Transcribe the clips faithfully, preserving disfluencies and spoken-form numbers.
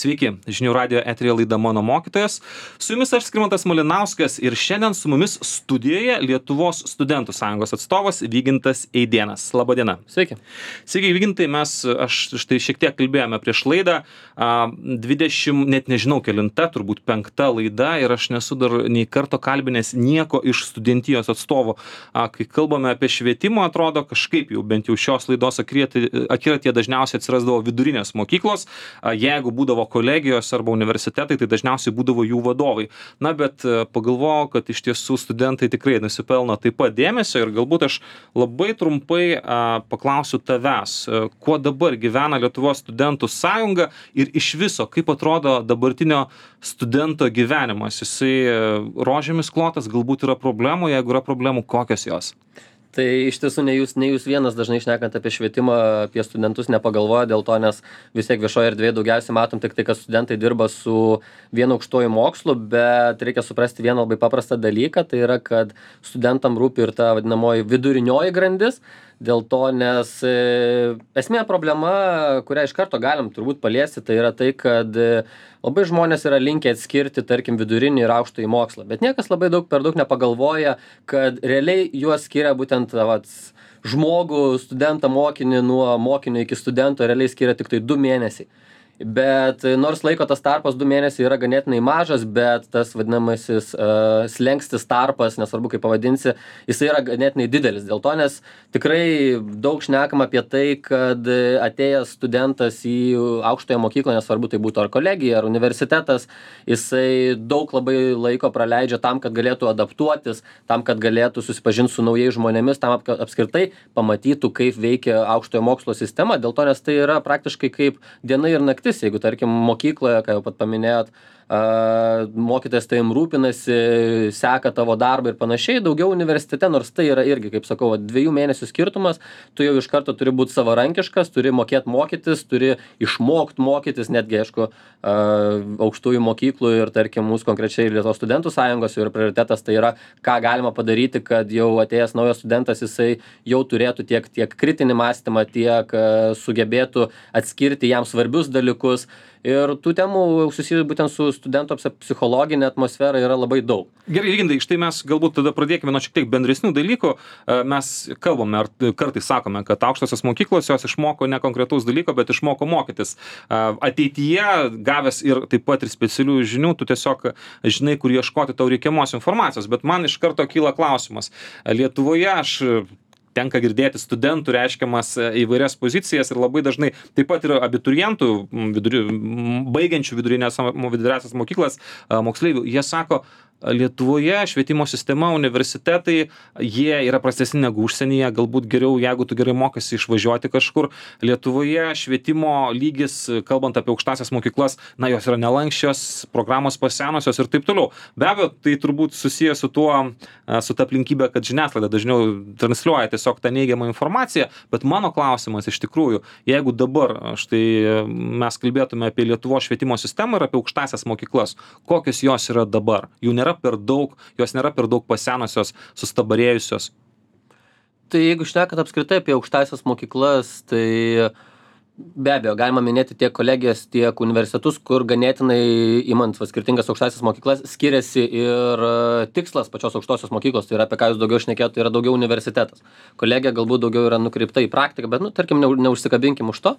Sveiki, žinių radijo eteryje laida Mano mokytojas. Su jumis aš Skirmantas Malinauskas ir šiandien su mumis studijoje Lietuvos studentų sąjungos atstovas Vygintas Eidėnas. Labą dieną. Sveiki. Sveiki, Vygintai, mes, aš štai šiek tiek kalbėjome prieš laidą, dvidešimt, net nežinau kelinta, turbūt penkta laida ir aš nesu dar nei karto kalbinęs nieko iš studentijos atstovų. Kai kalbame apie švietimą, atrodo kažkaip jau bent jau šios laidos akiratyje dažniausiai atsirasdavo vidurinės mokyklos, jeigu būdavo kolegijos arba universitetai, tai dažniausiai būdavo jų vadovai. Na, bet pagalvojau, kad iš tiesų studentai tikrai nusipelno taip pat dėmesio ir galbūt aš labai trumpai a, paklausiu tavęs, kuo dabar gyvena Lietuvos studentų sąjunga ir iš viso, kaip atrodo dabartinio studento gyvenimas. Jisai rožėmis klotas, galbūt yra problemų, jeigu yra problemų, kokios jos? Tai iš tiesų ne jūs, ne jūs vienas dažnai šnekant apie švietimą, apie studentus nepagalvoja dėl to, nes vis tiek viešoje erdvėje daugiausiai matom tik tai, kad studentai dirba su vienu aukštuoju mokslu, bet reikia suprasti vieną labai paprastą dalyką, tai yra, kad studentam rūpi ir ta vadinamoji vidurinioji grandis, dėl to, nes e, esmė problema, kurią iš karto galim turbūt paliesti, tai yra tai, kad e, labai žmonės yra linkę atskirti, tarkim, vidurinį ir aukštąjį mokslą, bet niekas labai daug per daug nepagalvoja, kad realiai juos skiria būtent vat, žmogų, studentą, mokinį, nuo mokinio iki studento realiai skiria tik tai du mėnesiai. Bet nors laiko tas tarpas du mėnesiai yra ganėtinai mažas, bet tas vadinamasis uh, slengstis tarpas, nesvarbu kaip pavadinsi, jisai yra ganėtinai didelis. Dėl to, nes tikrai daug šnekam apie tai, kad atėjęs studentas į aukštąją mokyklą, nesvarbu tai būtų ar kolegija, ar universitetas, jisai daug labai laiko praleidžia tam, kad galėtų adaptuotis, tam, kad galėtų susipažinti su naujais žmonėmis, tam apskritai pamatytų, kaip veikia aukštojo mokslo sistema. Dėl to, nes tai yra praktiškai kaip diena ir naktis. Jeigu, tarkim, mokykloje, ką jau pat paminėjot, Uh, mokytojas tavim rūpinasi, seka tavo darbą ir panašiai, daugiau universitete, nors tai yra irgi, kaip sakau, dviejų mėnesių skirtumas, tu jau iš karto turi būti savarankiškas, turi mokėti mokytis, turi išmokti mokytis, netgi, aišku, uh, aukštųjų mokyklų ir, tarkim, mūsų konkrečiai Lietuvos studentų sąjungos ir prioritetas tai yra, ką galima padaryti, kad jau atėjęs naujas studentas, jisai jau turėtų tiek, tiek kritinį mąstymą, tiek uh, sugebėtų atskirti jam svarbius dalykus. Ir tų temų susijusių būtent su studento psichologinė atmosfera yra labai daug. Gerai, Vygintai, štai mes galbūt tada pradėkime nuo šiek tiek bendresnių dalykų. Mes kalbame, ar kartais sakome, kad aukštosios mokyklos jos išmoko ne konkretaus dalyko, bet išmoko mokytis. Ateityje, gavęs ir taip pat ir specialių žinių, tu tiesiog žinai, kur ieškoti tau reikiamos informacijos. Bet man iš karto kyla klausimas. Lietuvoje aš tenka girdėti studentų reiškiamas įvairias pozicijas ir labai dažnai taip pat yra abiturientų, viduri, baigiančių vidurinės, viduresias mokyklas, moksleivių. Jie sako, Lietuvoje švietimo sistema, universitetai, jie yra prastesni negu užsienyje, galbūt geriau, jeigu tu gerai mokasi išvažiuoti kažkur. Lietuvoje švietimo lygis, kalbant apie aukštąsias mokyklas, na, jos yra nelankščios, programos pasenusios ir taip toliau. Be abejo, tai turbūt susiję su tuo, su ta aplinkybė, kad žiniasklaida dažniau transliuoja tiesiog tą neigiamą informaciją, bet mano klausimas iš tikrųjų, jeigu dabar štai mes kalbėtume apie Lietuvos švietimo sistemą ir apie aukštąsias mokyklas, kokios jos yra dabar? Jų nėra per daug, jos nėra per daug pasenusios, sustabarėjusios. Tai jeigu šnekat apskritai apie aukštąsias mokyklas, tai be abejo, galima minėti tiek kolegijas, tiek universitetus, kur ganėtinai imant va, skirtingas aukštąsias mokyklas skiriasi ir tikslas pačios aukštosios mokyklos, tai yra apie ką jūs daugiau šnekėjote, tai yra daugiau universitetas. Kolegija galbūt daugiau yra nukreipta į praktiką, bet, nu, tarkim, neužsikabinkim už to.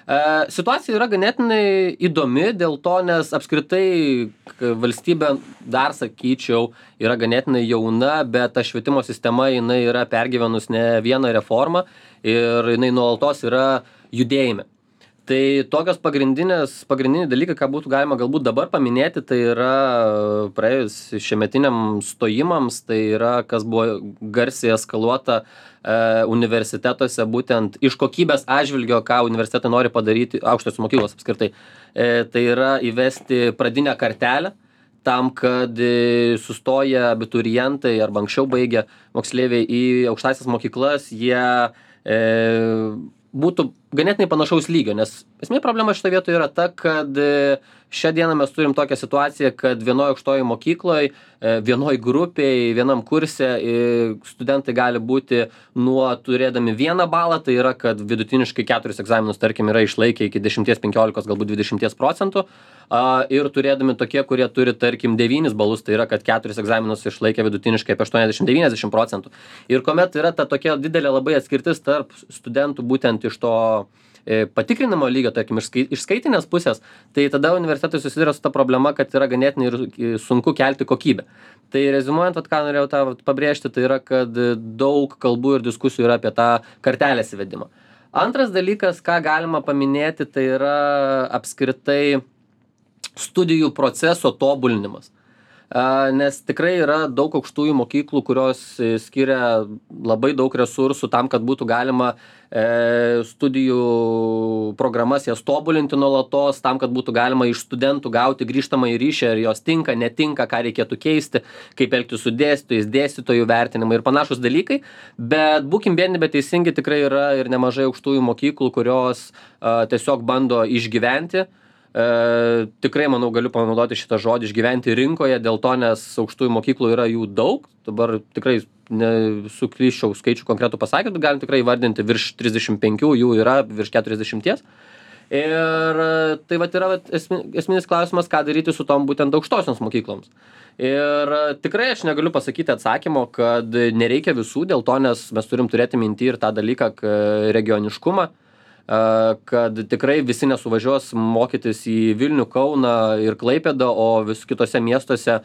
Situacija yra ganėtinai įdomi dėl to, nes apskritai valstybė, dar sakyčiau, yra ganėtinai jauna, bet ta švietimo sistema jinai yra pergyvenus ne vieną reformą ir jinai nuolatos yra judėjime. Tai tokios pagrindinės, pagrindiniai dalykai, ką būtų galima galbūt dabar paminėti, tai yra praėjus šiemetiniam stojimams, tai yra, kas buvo garsiai eskaluota e, universitetuose, būtent iš kokybės atžvilgio, ką universitetai nori padaryti, aukštosios mokyklos apskritai. E, tai yra įvesti pradinę kartelę, tam, kad sustoja abiturientai arba anksčiau baigę moksleiviai į aukštąsias mokyklas, jie e, būtų ganėtinai panašaus lygio, nes esmė problema šitoje vietoje yra ta, kad šią dieną mes turim tokią situaciją, kad vienoje aukštoje mokykloje, vienoje grupėje, vienam kurse studentai gali būti nuo turėdami vieną balą, tai yra, kad vidutiniškai keturis egzaminus, tarkim, yra išlaikę iki dešimties, penkiolikos, galbūt dvidešimties procentų, ir turėdami tokie, kurie turi, tarkim, devynis balus, tai yra, kad keturis egzaminus išlaikė vidutiniškai apie aštuoniasdešimt devyniasdešimt procentų. Ir kuomet yra ta tokia didelė labai atskirtis tarp studentų būtent iš to patikrinimo lygio, tarkim, iš skaitinės pusės, tai tada universitetai susiduria su ta problema, kad yra ganėtinai ir sunku kelti kokybę. Tai rezumuojant, vat, ką norėjau tą pabrėžti, tai yra, kad daug kalbų ir diskusijų yra apie tą kartelės įvedimą. Antras dalykas, ką galima paminėti, tai yra apskritai studijų proceso tobulinimas. Nes tikrai yra daug aukštųjų mokyklų, kurios skiria labai daug resursų tam, kad būtų galima studijų programas jas tobulinti nuolatos, tam, kad būtų galima iš studentų gauti grįžtamą į ryšį, ar jos tinka, netinka, ką reikėtų keisti, kaip elgtis su dėstytojais, dėstytojų vertinimai ir panašus dalykai. Bet būkim biedni, bet teisingi, tikrai yra ir nemažai aukštųjų mokyklų, kurios tiesiog bando išgyventi. E, tikrai, manau, galiu panaudoti šitą žodį išgyventi rinkoje, dėl to, nes aukštųjų mokyklų yra jų daug, dabar tikrai nesuklyščiau skaičių konkretų pasakyti, galim tikrai vardinti virš trisdešimt penkių, jų yra virš keturiasdešimties. Ir tai vat yra vat, esminis klausimas, ką daryti su tom būtent aukštosioms mokykloms. Ir tikrai aš negaliu pasakyti atsakymo, kad nereikia visų, dėl to, nes mes turim turėti minty ir tą dalyką regioniškumą, kad tikrai visi nesuvažiuos mokytis į Vilnių, Kauną ir Klaipėdą, o vis kitose miestuose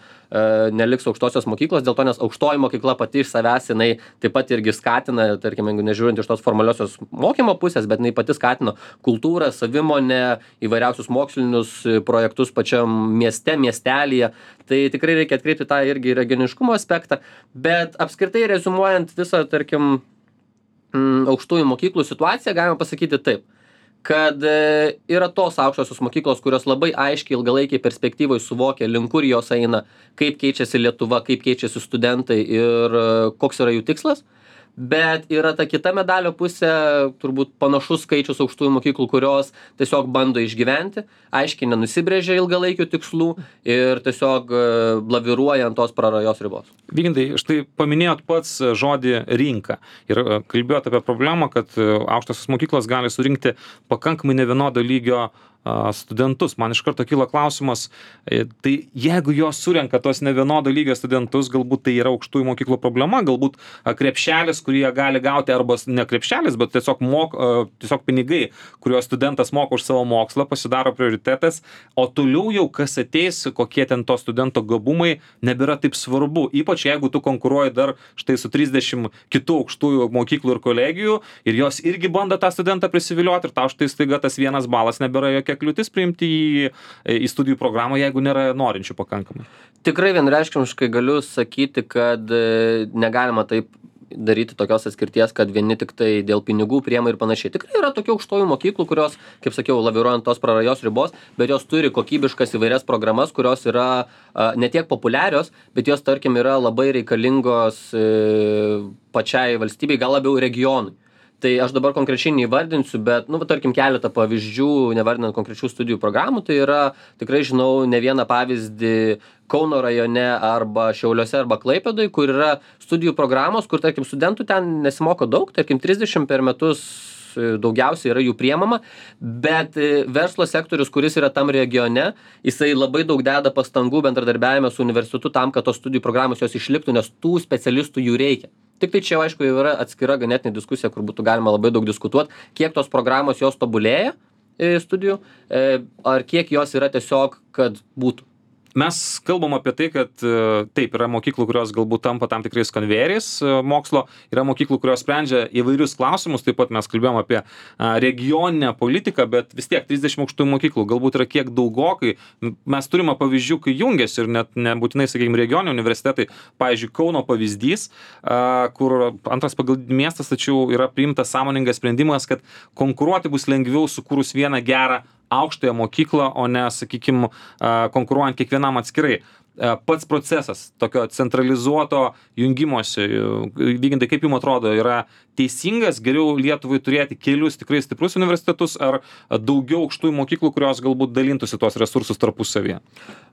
neliks aukštosios mokyklos, dėl to, nes aukštoji mokykla pati iš savęs, jinai taip pat irgi skatina, tarkim, nežiūrint iš tos formaliosios mokymo pusės, bet jinai pati skatino kultūrą, savimonę, įvairiausius mokslinius projektus pačiam mieste, miestelyje. Tai tikrai reikia atkreipti tą irgi regioniškumo aspektą, bet apskritai rezumuojant visą, tarkim, aukštųjų mokyklų situaciją, galima pasakyti taip, kad yra tos aukštosios mokyklos, kurios labai aiškiai ilgalaikiai perspektyvoje suvokia, link kur jos eina, kaip keičiasi Lietuva, kaip keičiasi studentai ir koks yra jų tikslas. Bet yra ta kita medalio pusė, turbūt panašus skaičius aukštųjų mokyklų, kurios tiesiog bando išgyventi, aiškiai nenusibrėžia ilgalaikių tikslų ir tiesiog blaviruoja ant tos prarajos ribos. Vygintai, štai paminėjot pats žodį rinka ir kalbėjot apie problemą, kad aukštosios mokyklos gali surinkti pakankamai nevienodo lygio studentus. Man iš karto kyla klausimas, tai jeigu jos surenka tos nevienodo lygio studentus, galbūt tai yra aukštųjų mokyklų problema, galbūt krepšelis, kurį jie gali gauti, arba ne krepšelis, bet tiesiog, mok, tiesiog pinigai, kuriuos studentas moka už savo mokslą, pasidaro prioritetas, o toliau jau kas ateis, kokie ten to studento gabumai, nebėra taip svarbu, ypač jeigu tu konkuruoji dar štai su trisdešimt kitų aukštųjų mokyklų ir kolegijų ir jos irgi bando tą studentą prisivilioti ir tau štai staiga tas vienas balas nebėra jokia kliūtis priimti į, į studijų programą, jeigu nėra norinčių pakankamai. Tikrai vienreiškiškai galiu sakyti, kad negalima taip daryti tokios atskirties, kad vieni tik tai dėl pinigų priema ir panašiai. Tikrai yra tokių aukštojų mokyklų, kurios, kaip sakiau, laviruojant tos prarajos ribos, bet jos turi kokybiškas įvairias programas, kurios yra a, ne tiek populiarios, bet jos, tarkim, yra labai reikalingos e, pačiai valstybei, gal labiau regionui. Tai aš dabar konkrečiai neįvardinsiu, bet, nu, tarkim, keletą pavyzdžių, nevardinant konkrečių studijų programų, tai yra, tikrai žinau, ne vieną pavyzdį Kauno rajone arba Šiauliuose arba Klaipėdoje, kur yra studijų programos, kur, tarkim, studentų ten nesimoko daug, tarkim, trisdešimt per metus daugiausiai yra jų priemama, bet verslo sektorius, kuris yra tam regione, jisai labai daug deda pastangų bendradarbiavime su universitetu tam, kad tos studijų programos jos išliktų, nes tų specialistų jų reikia. Tik tai čia, aišku, jau yra atskira ganėtinė diskusija, kur būtų galima labai daug diskutuoti, kiek tos programos jos tobulėja studijų, ar kiek jos yra tiesiog, kad būtų. Mes kalbam apie tai, kad taip, yra mokyklų, kurios galbūt tampa tam tikrais konvejeriais mokslo, yra mokyklų, kurios sprendžia įvairius klausimus, taip pat mes kalbėjom apie regioninę politiką, bet vis tiek trisdešimt aukštųjų mokyklų galbūt yra kiek daugokai. Mes turime pavyzdžių, kai jungiasi ir net nebūtinai, sakykime, regioniniai universitetai, pavyzdžiui, Kauno pavyzdys, kur antras pagal miestas, tačiau yra priimtas sąmoningas sprendimas, kad konkuruoti bus lengviau sukūrus vieną gerą aukštąją mokyklą, o ne, sakykime, konkuruojant kiekvienam atskirai. pats procesas tokio centralizuoto jungimosi, Vygintai, kaip jums atrodo, yra teisingas, geriau Lietuvai turėti kelius tikrai stiprus universitetus ar daugiau aukštųjų mokyklų, kurios galbūt dalintųsi tuos resursus tarpusavyje?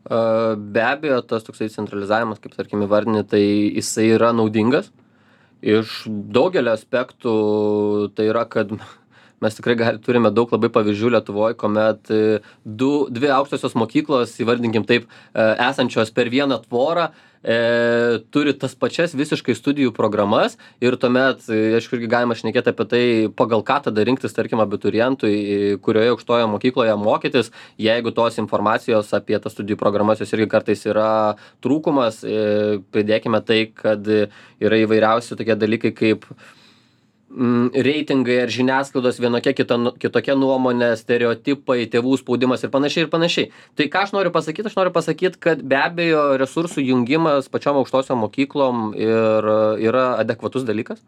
Be abejo, tas toksai centralizavimas, kaip tarkim įvardini, tai jisai yra naudingas. Iš daugelio aspektų tai yra, kad mes tikrai gali, turime daug labai pavyzdžių Lietuvoje, kuomet du, dvi aukštosios mokyklos, įvardinkim taip, esančios per vieną tvorą, e, turi tas pačias visiškai studijų programas ir tuomet, aišku, irgi galima šnekėti apie tai, pagal ką tada rinktis, tarkim, abiturientui, kurioje aukštoje mokykloje mokytis, jeigu tos informacijos apie tas studijų programas jos irgi kartais yra trūkumas, e, pridėkime tai, kad yra įvairiausi tokie dalykai kaip reitingai ar žiniasklaidos vienokia kita, kitokia nuomonė, stereotipai, tėvų spaudimas ir panašiai ir panašiai. Tai ką aš noriu pasakyti? Aš noriu pasakyti, kad be abejo resursų jungimas pačiom aukštosiom mokyklom ir, yra adekvatus dalykas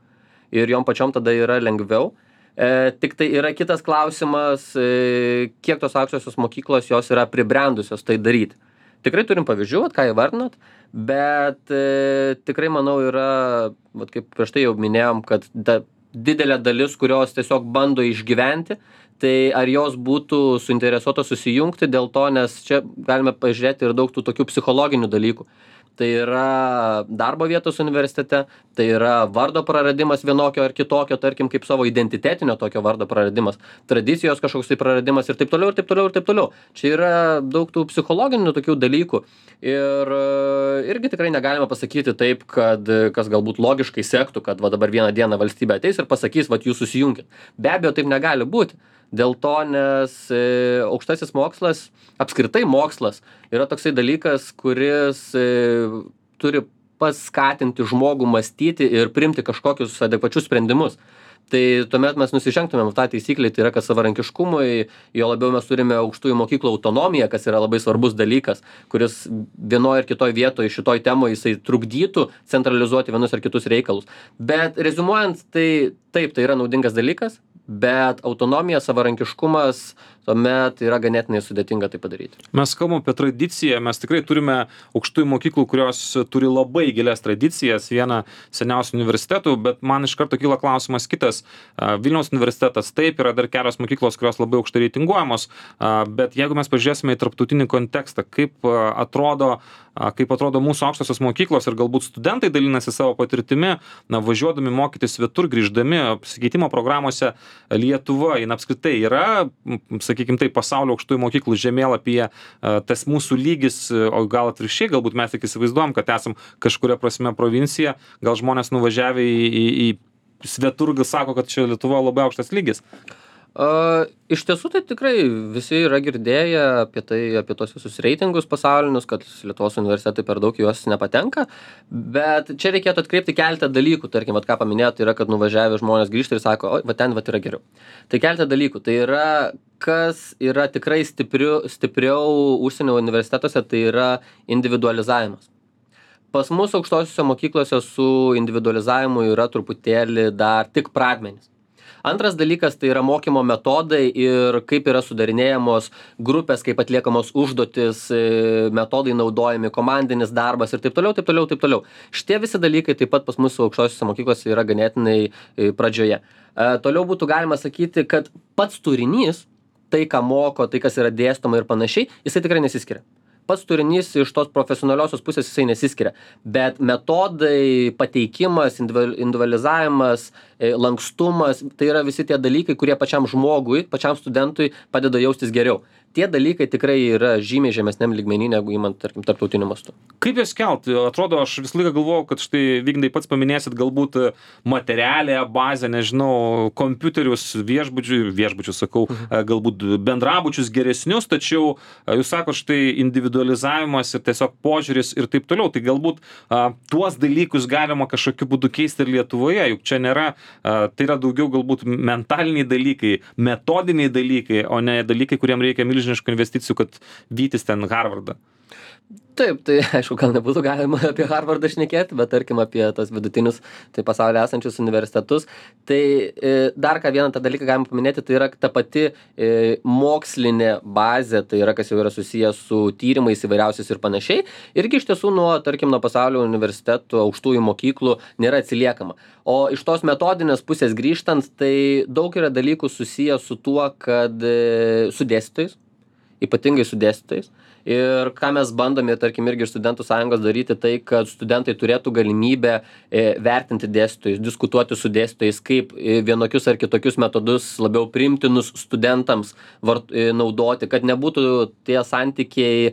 ir jom pačiom tada yra lengviau. E, tik tai yra kitas klausimas, e, kiek tos aukštosios mokyklos jos yra pribrendusios tai daryti. Tikrai turim pavyzdžių, vat, ką įvardinot, bet e, tikrai manau yra, vat, kaip prieš tai jau minėjom, kad da, didelė dalis, kurios tiesiog bando išgyventi, tai ar jos būtų suinteresuotos susijungti dėl to, nes čia galime pažiūrėti ir daug tų tokių psichologinių dalykų. Tai yra darbo vietos universitete, tai yra vardo praradimas vienokio ar kitokio, tarkim, kaip savo identitetinio tokio vardo praradimas, tradicijos kažkoks tai praradimas ir taip toliau, ir taip toliau, ir taip toliau. Čia yra daug tų psichologinių tokių dalykų ir irgi tikrai negalime pasakyti taip, kad kas galbūt logiškai sektų, kad va dabar vieną dieną valstybė ateis ir pasakys, va jūs susijunkit. Be abejo, taip negali būti. Dėl to, nes e, aukštasis mokslas, apskritai mokslas, yra toksai dalykas, kuris e, turi paskatinti žmogų mąstyti ir priimti kažkokius adekvačius sprendimus. Tai tuomet mes nusižengtumėm tą taisyklę, tai yra, kad savarankiškumui, jo labiau mes turime aukštųjų mokyklų autonomiją, kas yra labai svarbus dalykas, kuris vienoje ir kitoje vietoje šitoj temoje jisai trukdytų centralizuoti vienus ar kitus reikalus. Bet rezumuojant, tai taip, tai yra naudingas dalykas, bet autonomija, savarankiškumas tuomet yra ganėtinai sudėtinga tai padaryti. Mes kalbam apie tradiciją, mes tikrai turime aukštųjų mokyklų, kurios turi labai gilias tradicijas, vieną seniausių universitetų, bet man iš karto kyla klausimas kitas. Vilniaus universitetas taip, yra dar kelios mokyklos, kurios labai aukštai reitinguojamos, bet jeigu mes pažiūrėsime į tarptautinį kontekstą, kaip atrodo kaip atrodo mūsų aukštosios mokyklos ir galbūt studentai dalinasi savo patirtimi, na, važiuodami mokytis svetur, grįždami apsikeitimo programuose, Lietuva, jin apskritai yra, sakykime taip, pasaulio aukštųjų mokyklų žemėlapyje, tas mūsų lygis, o gal atvirkščiai, galbūt mes tik įsivaizduojam, kad esam kažkuria prasme provincija, gal žmonės nuvažiavę į, į, į svetur, gal sako, kad čia Lietuva labai aukštas lygis. Uh, iš tiesų tai tikrai visi yra girdėję apie tai, apie tos visus reitingus pasaulinius, kad Lietuvos universitetai per daug juos nepatenka, bet čia reikėtų atkreipti keletą dalykų, tarkim, vat ką paminėjote, yra, kad nuvažiavę žmonės grįžta ir sako, oi, va ten va yra geriau. Tai keletą dalykų, tai yra, kas yra tikrai stipriu, stipriau užsienio universitetuose, tai yra individualizavimas. Pas mus aukštosiuose mokyklose su individualizavimu yra truputėlį dar tik pradmenys. Antras dalykas tai yra mokymo metodai ir kaip yra sudarinėjamos grupės, kaip atliekamos užduotis, metodai naudojami, komandinis darbas ir taip toliau, taip toliau, taip toliau. Šitie visi dalykai taip pat pas mūsų aukštosiuose mokyklose yra ganėtinai pradžioje. E, toliau būtų galima sakyti, kad pats turinys, tai ką moko, tai kas yra dėstoma ir panašiai, jisai tikrai nesiskiria. Pats turinys iš tos profesionaliosios pusės jisai nesiskiria, bet metodai, pateikimas, individualizavimas, lankstumas, tai yra visi tie dalykai, kurie pačiam žmogui, pačiam studentui padeda jaustis geriau. Tie dalykai tikrai yra žymiai žemesniam lygmenį, negu įmant, tarkim, tarptautiniu mastu. Kaip jas kelt? Atrodo, aš visą laiką galvojau, kad štai, Vygintai, pats paminėsit galbūt materialę bazę, nežinau, kompiuterius, viešbučių, viešbučių sakau, galbūt bendrabučius geresnius, tačiau jūs sako, štai individualizavimas ir tiesiog požiūris ir taip toliau. Tai galbūt a, tuos dalykus galima kažkokiu būdu keisti ir Lietuvoje, juk čia nėra, a, tai yra daugiau galbūt mentaliniai dalykai, metodiniai dalykai, o ne dalykai, kuriem reikia milžiniškų investicijų, kad vytis ten Harvardą. Taip, tai aišku, gal nebūtų galima apie Harvardą šnekėti, bet tarkim apie tas vidutinius, tai pasaulyje esančius universitetus. Tai e, dar ką vieną tą dalyką galima paminėti, tai yra ta pati e, mokslinė bazė, tai yra kas jau yra susijęs su tyrimais įvairiausiais ir panašiai. Irgi iš tiesų nuo, tarkim, nuo pasaulio universitetų, aukštųjų mokyklų nėra atsiliekama. O iš tos metodinės pusės grįžtant, tai daug yra dalykų susiję su tuo, kad e, su dėstytojais, ypatingai su dėstytojais. Ir ką mes bandome, tarkim, irgi iš studentų sąjungos daryti, tai kad studentai turėtų galimybę e, vertinti dėstytojus, diskutuoti su dėstytojais, kaip e, vienokius ar kitokius metodus labiau priimtinus studentams vart, e, naudoti, kad nebūtų tie santykiai e,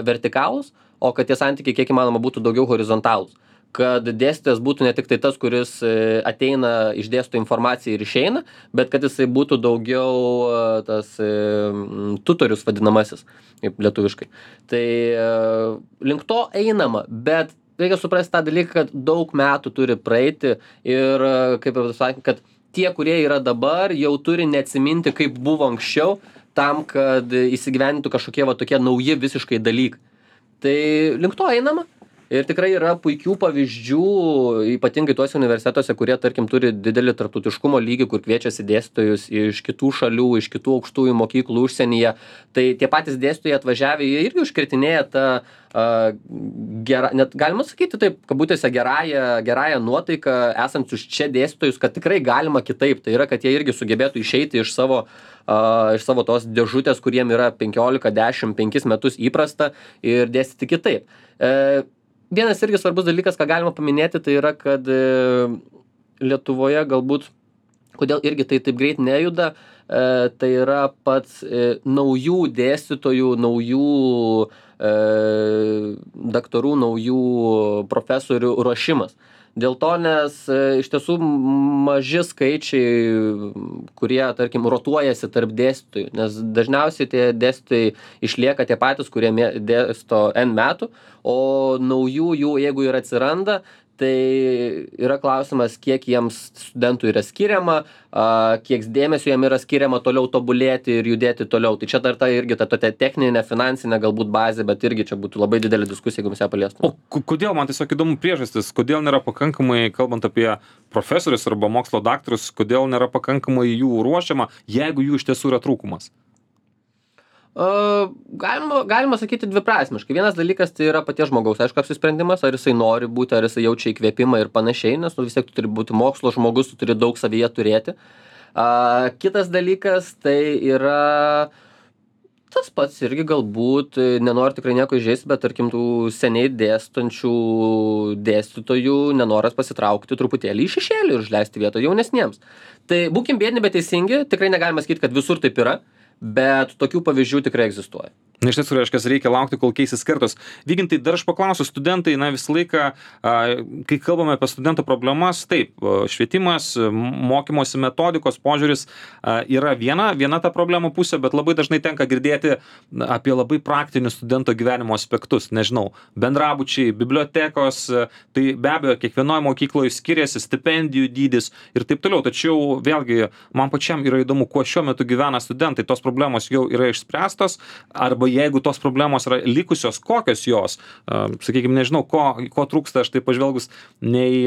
vertikalūs, o kad tie santykiai kiek įmanoma būtų daugiau horizontalūs. Kad dėstytojas būtų ne tik tai tas, kuris ateina, išdėsto informaciją ir išeina, bet kad jisai būtų daugiau tas tutorius vadinamasis, kaip lietuviškai. Tai link to einama, bet reikia suprasti tą dalyką, kad daug metų turi praeiti ir, kaip jau sakė, kad tie, kurie yra dabar, jau turi neatsiminti, kaip buvo anksčiau, tam, kad įsigyvenintų kažkokie va tokie nauji visiškai dalykai. Tai link to einama. Ir tikrai yra puikių pavyzdžių, ypatingai tuose universitetuose, kurie, tarkim, turi didelį tarptautiškumo lygį, kur kviečiasi dėstytojus iš kitų šalių, iš kitų aukštųjų mokyklų užsienyje. Tai tie patys dėstytojai atvažiavę, jie irgi užkirtinėja tą, uh, gerą, net galima sakyti taip, kabutėse gerąją, gerąją nuotaiką esančius čia dėstytojus, kad tikrai galima kitaip. Tai yra, kad jie irgi sugebėtų išeiti iš savo, uh, iš savo tos dėžutės, kuriem yra penkiolika, dešimt, penkis metus įprasta ir dėstyti kitaip. Uh, Vienas irgi svarbus dalykas, ką galima paminėti, tai yra, kad e, Lietuvoje galbūt, kodėl irgi tai taip greit nejuda, e, tai yra pats e, naujų dėstytojų, naujų e, daktarų, naujų profesorių ruošimas. Dėl to, nes e, iš tiesų maži skaičiai, kurie, tarkim, rotuojasi tarp dėstytojų, nes dažniausiai tie dėstytojai išlieka tie patys, kurie mė, dėsto N metų, o naujų jų, jeigu ir atsiranda, tai yra klausimas, kiek jiems studentų yra skiriama, a, kiek dėmesio jiem yra skiriama toliau tobulėti ir judėti toliau. Tai čia dar ta irgi ta tokia techninė, finansinė galbūt bazė, bet irgi čia būtų labai didelė diskusija, jeigu mes ją paliestume. O kodėl, man tiesiog įdomu priežastis, kodėl nėra pakankamai, kalbant apie profesorius arba mokslo daktarus, kodėl nėra pakankamai jų ruošiama, jeigu jų iš tiesų yra trūkumas? Uh, galima, galima sakyti dviprasmiškai. Vienas dalykas tai yra paties žmogaus, aišku, apsisprendimas, ar jisai nori būti, ar jisai jaučia įkvėpimą ir panašiai, nes nu, vis tiek tu turi būti mokslo žmogus, tu turi daug savyje turėti. Uh, kitas dalykas tai yra tas pats irgi galbūt, nenori tikrai nieko įžeisti, bet tarkim tų seniai dėstančių dėstytojų nenoras pasitraukti truputėlį į šešėlį ir užleisti vietą jaunesniems. Tai būkim biedni, bet teisingi, tikrai negalima sakyti, kad visur taip yra. Bet tokių pavyzdžių tikrai egzistuoja. Na, iš tiesų, reiškia, reikia laukti, kol keisis kartos. Vygintai, dar aš paklausiu, studentai, na, visą laiką, a, kai kalbame apie studentų problemas, taip, švietimas, mokymosi metodikos požiūris a, yra viena, viena ta problemų pusė, bet labai dažnai tenka girdėti apie labai praktinius studento gyvenimo aspektus. Nežinau, bendrabučiai, bibliotekos, tai be abejo, kiekvienoje mokykloje skiriasi stipendijų dydis ir taip toliau. Tačiau, vėlgi, man pačiam yra įdomu, kuo šiuo metu gyvena studentai. Tos problemos jau yra išspręstos, arba jeigu tos problemos yra likusios, kokios jos, sakykime, nežinau, ko, ko trūksta, aš tai pažvelgus ne į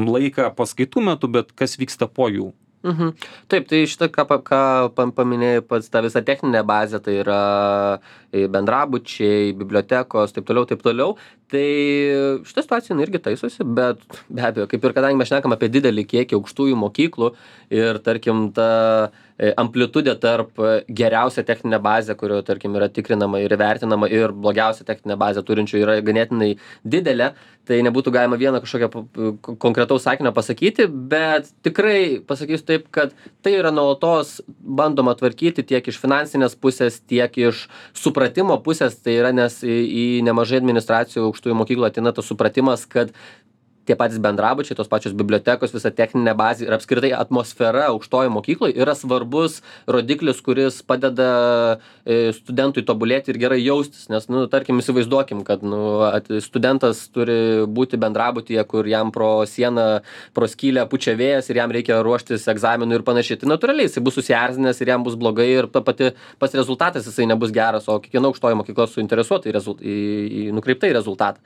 laiką paskaitų metu, bet kas vyksta po jų. Mhm. Taip, tai šitą, ką, ką paminėjai pats, ta visa techninė bazė, tai yra bendrabučiai, bibliotekos, taip toliau, taip toliau. Tai šitą situaciją irgi taisosi, bet be abejo, kaip ir kadangi mes šnekam apie didelį kiekį aukštųjų mokyklų ir, tarkim, ta amplitudė tarp geriausia techninė bazė, kurio, tarkim, yra tikrinama ir vertinama, ir blogiausia techninė bazė turinčių yra ganėtinai didelė, tai nebūtų galima vieną kažkokią konkretaus sakinio pasakyti, bet tikrai pasakysiu taip, kad tai yra nuolatos bandoma tvarkyti tiek iš finansinės pusės, tiek iš supratimo pusės, tai yra, nes į, į nemažai administracijų aukštųjų mokyklų ateina tas supratimas, kad tie patys bendrabučiai, tos pačios bibliotekos, visa techninė bazė ir apskritai atmosfera aukštojo mokykloje yra svarbus rodiklis, kuris padeda studentui tobulėti ir gerai jaustis. Nes, nu, tarkim, įsivaizduokim, kad nu, studentas turi būti bendrabutyje, kur jam pro sieną, pro skylę pučia vėjas ir jam reikia ruoštis egzaminų ir panašiai. Tai natūraliai jisai bus susierzinęs ir jam bus blogai ir ta pati pas rezultatas jisai nebus geras, o kiekviena aukštoji mokykla suinteresuota į, rezult, į, į nukreiptą į rezultatą.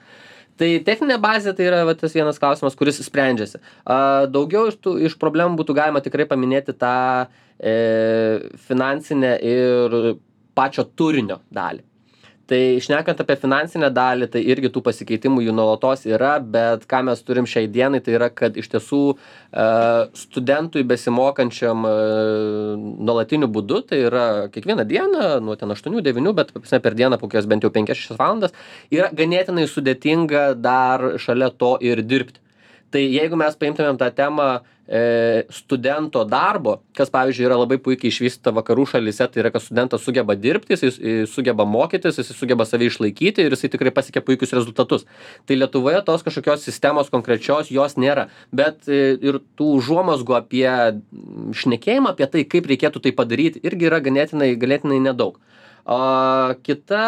Tai techninė bazė tai yra va, tas vienas klausimas, kuris sprendžiasi. A, daugiau iš, tų, iš problemų būtų galima tikrai paminėti tą e, finansinę ir pačio turinio dalį. Tai šnekant apie finansinę dalį, tai irgi tų pasikeitimų jų nuolatos yra, bet ką mes turim šiai dienai, tai yra, kad iš tiesų e, studentui besimokančiam e, nuolatiniu būdu, tai yra kiekvieną dieną, nuo ten aštuonių devynių, bet per dieną po kokias bent jau penkias šešias valandas, yra ganėtinai sudėtinga dar šalia to ir dirbti. Tai jeigu mes paimtumėm tą temą e, studento darbo, kas, pavyzdžiui, yra labai puikiai išvystyta vakarų šalyse, tai yra, kad studentas sugeba dirbti, jis sugeba mokytis, jis sugeba save išlaikyti ir jisai tikrai pasiekia puikius rezultatus. Tai Lietuvoje tos kažkokios sistemos konkrečios jos nėra, bet e, ir tų užuomazgų apie šnekėjimą, apie tai, kaip reikėtų tai padaryti, irgi yra ganėtinai, ganėtinai nedaug. O kita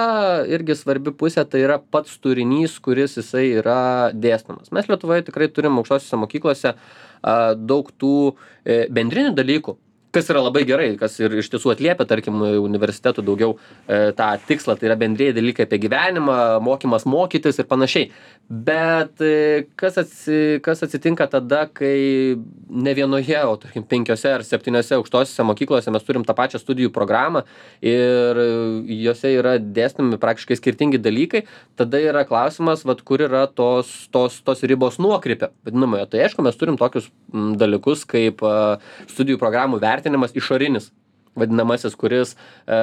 irgi svarbi pusė tai yra pats turinys, kuris jisai yra dėstomas. Mes Lietuvoje tikrai turim aukštosiose mokyklose a, daug tų e, bendrinių dalykų, kas yra labai gerai, kas ir iš tiesų atliepia, tarkim, universitetų daugiau e, tą tikslą, tai yra bendrieji dalykai apie gyvenimą, mokymas mokytis ir panašiai. Bet e, kas, atsi, kas atsitinka tada, kai ne vienoje, o tarkim penkiose ar septyniose aukštosiose mokyklose mes turim tą pačią studijų programą ir jose yra dėstomi praktiškai skirtingi dalykai, tada yra klausimas, vat, kur yra tos, tos, tos ribos nuokrypio, vadinamoje. Tai aišku, mes turim tokius m, dalykus kaip a, studijų programų vertinimas išorinis, vadinamasis, kuris e,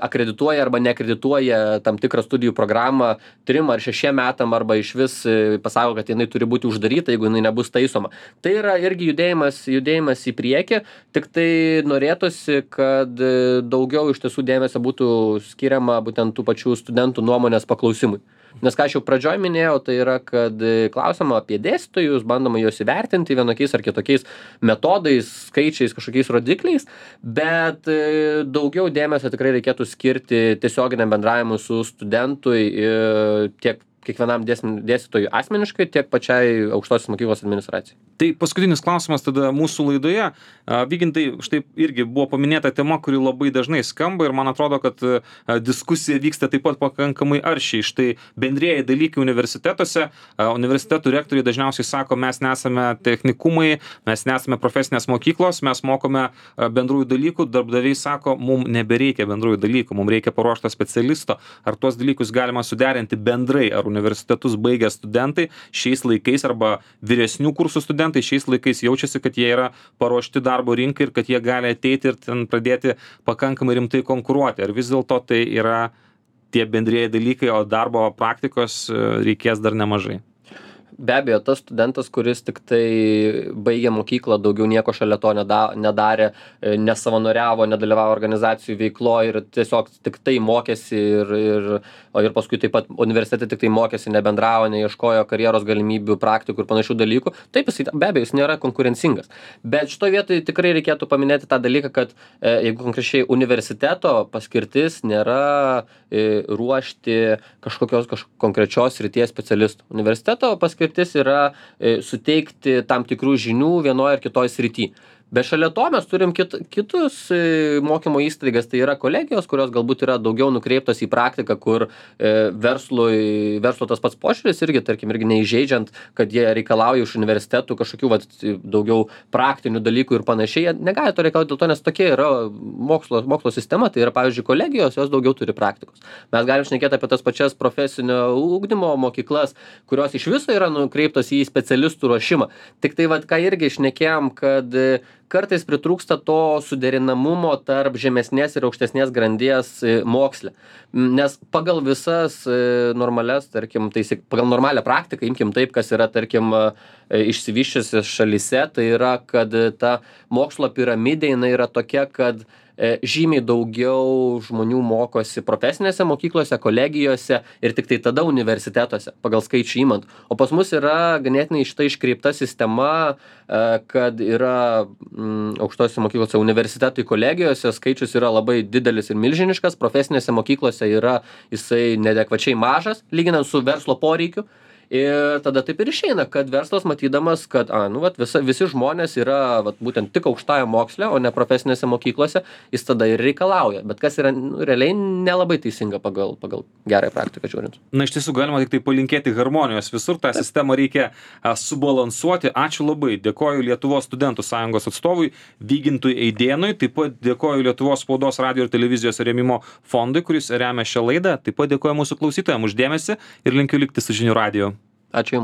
akredituoja arba neakredituoja tam tikrą studijų programą trim ar šešiem metam arba iš vis e, pasako, kad jinai turi būti uždaryta, jeigu jinai nebus taisoma. Tai yra irgi judėjimas, judėjimas į priekį, tik tai norėtųsi, kad daugiau iš tiesų dėmesio būtų skiriama būtent tų pačių studentų nuomonės paklausimui. Nes ką aš jau pradžioj minėjau, tai yra, kad klausima apie dėstytojus, bandoma juos įvertinti vienokiais ar kitokiais metodais, skaičiais, kažkokiais rodikliais, bet daugiau dėmesio tikrai reikėtų skirti tiesioginiam bendravimui su studentui tiek kiekvienam dėstytojui asmeniškai, tiek pačiai aukštosios mokyklos administracijai. Tai paskutinis klausimas tada mūsų laidoje. Vygintai, štai irgi buvo paminėta tema, kuri labai dažnai skamba ir man atrodo, kad diskusija vyksta taip pat pakankamai aršiai. Štai bendrieji dalykai universitetuose, universitetų rektoriai dažniausiai sako, mes nesame technikumai, mes nesame profesinės mokyklos, mes mokome bendrųjų dalykų, darbdaviai sako, mums nebereikia bendrųjų dalykų, mums reikia paruošto specialisto. Ar tuos dalykus galima suderinti bendrai, ar universitetus baigę studentai šiais laikais arba vyresnių kursų studentai šiais laikais jaučiasi, kad jie yra paruošti darbo rinkai ir kad jie gali ateiti ir ten pradėti pakankamai rimtai konkuruoti. Ar vis dėlto tai yra tie bendrieji dalykai, o darbo praktikos reikės dar nemažai? Be abejo, tas studentas, kuris tik tai baigė mokyklą, daugiau nieko šalia to nedarė, nesavanoriavo, nedalyvavo organizacijų veiklo ir tiesiog tik tai mokėsi ir, ir, ir paskui taip pat universitete tik tai mokėsi, nebendravo, neieškojo karjeros galimybių, praktikų ir panašių dalykų. Taip, jis, be abejo, jis nėra konkurencingas. Bet šitoje vietoje tikrai reikėtų paminėti tą dalyką, kad jeigu konkrečiai universiteto paskirtis nėra ruošti kažkokios kažkokios konkrečios srities specialistų. Universiteto paskirtis yra suteikti tam tikrų žinių vienoje ar kitoje srityje. Bet šalia to mes turim kit, kitus mokymo įstaigas, tai yra kolegijos, kurios galbūt yra daugiau nukreiptos į praktiką, kur e, verslui, verslo tas pats požiūris irgi, tarkim, irgi neįžeidžiant, kad jie reikalauja iš universitetų kažkokių vat, daugiau praktinių dalykų ir panašiai. Jie negali to reikalauti dėl to, nes tokia yra mokslo, mokslo sistema, tai yra, pavyzdžiui, kolegijos, jos daugiau turi praktikos. Mes galim šnekėti apie tas pačias profesinio ugdymo mokyklas, kurios iš viso yra nukreiptos į specialistų ruošimą. Tik tai, vat, ką irgi šnekėjom, kad kartais pritrūksta to suderinamumo tarp žemesnės ir aukštesnės grandies moksle. Nes pagal visas normalias, tarkim, taisik, pagal normalią praktiką, imkim taip, kas yra, tarkim, išsivyščiusios šalyse, tai yra, kad ta mokslo piramidė, jinai yra tokia, kad žymiai daugiau žmonių mokosi profesinėse mokyklose, kolegijose ir tik tai tada universitetuose, pagal skaičių įmant. O pas mus yra ganėtinai šita iškreipta sistema, kad yra mm, aukštose mokyklose, universitetai, kolegijose skaičius yra labai didelis ir milžiniškas, profesinėse mokyklose yra jisai neadekvačiai mažas, lyginant su verslo poreikiu. Ir tada taip ir išeina, kad verslas matydamas, kad a, nu, vat, visa, visi žmonės yra vat, būtent tik aukštajame moksle, o ne profesinėse mokyklose, jis tada ir reikalauja. Bet kas yra nu, realiai nelabai teisinga pagal, pagal gerąją praktiką žiūrint. Na, iš tiesų galima tik tai palinkėti harmonijos visur, tą taip. Sistemą reikia a, subalansuoti. Ačiū labai. Dėkoju Lietuvos studentų sąjungos atstovui Vygintui Eidėnui, taip pat dėkoju Lietuvos spaudos, radio ir televizijos rėmimo fondui, kuris remia šią laidą. Taip pat dėkoju mūsų klausytojams už dėmesį ir linkiu likti su Žinių radiju. Ačiū Jums.